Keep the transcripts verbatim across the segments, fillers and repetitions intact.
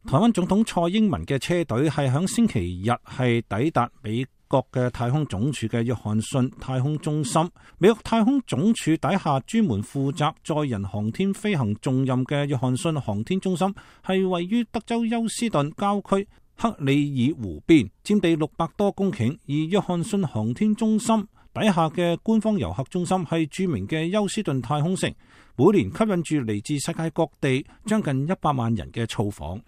台灣總統蔡英文嘅車隊係響星期日係抵達美國嘅太空總署嘅約翰遜太空中心。美國太空總署底下專門負責載人航天飛行重任嘅約翰遜航天中心係位於德州休斯頓郊區克里爾湖邊，佔地六百多公頃。而約翰遜航天中心底下嘅官方遊客中心係著名嘅休斯頓太空城，每年吸引住嚟自世界各地將近一百萬人嘅造訪。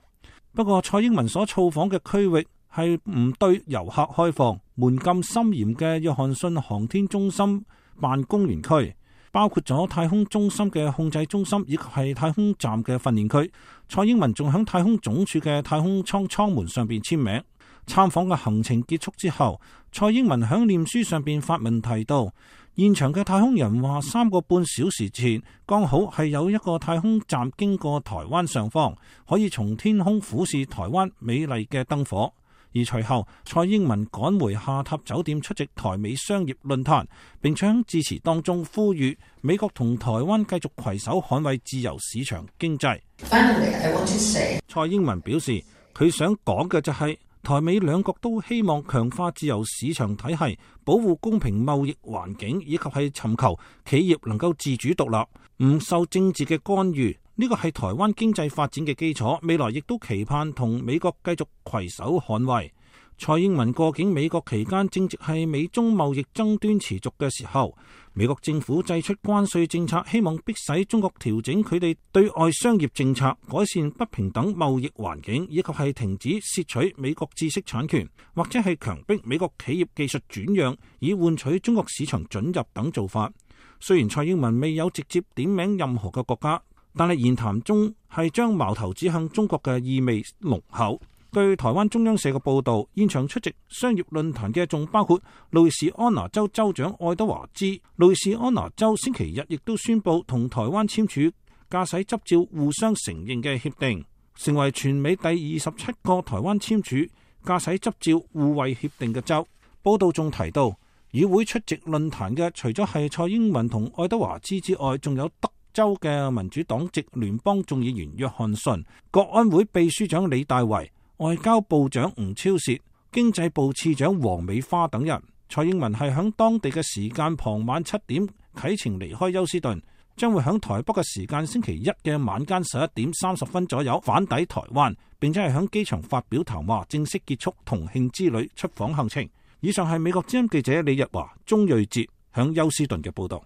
不過蔡英文所造訪嘅區域係唔對遊客開放，門禁森嚴嘅約翰遜航天中心辦公園區，包括咗太空中心嘅控制中心以及係太空站嘅訓練區。蔡英文仲喺太空總署嘅太空艙艙門上邊簽名。參訪嘅行程結束之後，蔡英文喺臉書上邊發文提到，現場嘅太空人話三個半小時前剛好係有一個太空站經過台灣上方，可以從天空俯視台灣美麗嘅燈火。而隨後蔡英文趕回下榻酒店出席台美商業論壇，並且喺致辭當中呼籲美國同台灣繼續攜手捍衛自由市場經濟。Finally, I want to say, 蔡英文表示佢想講嘅就係、是台美兩國都希望強化自由市場體系，保護公平貿易環境，以及係尋求企業能夠自主獨立，唔受政治嘅干預。呢個係台灣經濟發展嘅基礎，未來亦都期盼同美國繼續攜手捍衛。蔡英文過境美國期間，正值係美中貿易爭端持續嘅時候，美國政府祭出關稅政策，希望迫使中國調整佢哋對外商業政策，改善不平等貿易環境，以及係停止竊取美國知識產權，或者係強迫美國企業技術轉讓，以換取中國市場准入等做法。雖然蔡英文未有直接點名任何嘅國家，但係言談中係將矛頭指向中國嘅意味濃厚。據台灣中央社嘅報導，現場出席商業論壇嘅仲包括路易斯安那州州長愛德華茲。路易斯安那州星期日亦都宣布同台灣簽署駕駛執照互相承認嘅協定，成為全美第二十七個台灣簽署駕駛執照互惠協定嘅州。報導仲提到，與會出席論壇嘅除咗係蔡英文同愛德華茲之外，仲有德州嘅民主黨籍聯邦眾議員約翰遜、國安會秘書長李大維、外交部長吳釗燮、經濟部次長黃美花等人。蔡英文係響當地嘅時間傍晚七點啟程離開休斯頓，將會響台北嘅時間星期一嘅晚間十一點三十分左右返抵台灣，並且係響機場發表談話，正式結束同慶之旅出訪行程。以上係美國之音記者李日華、鍾瑞哲響休斯頓嘅報道。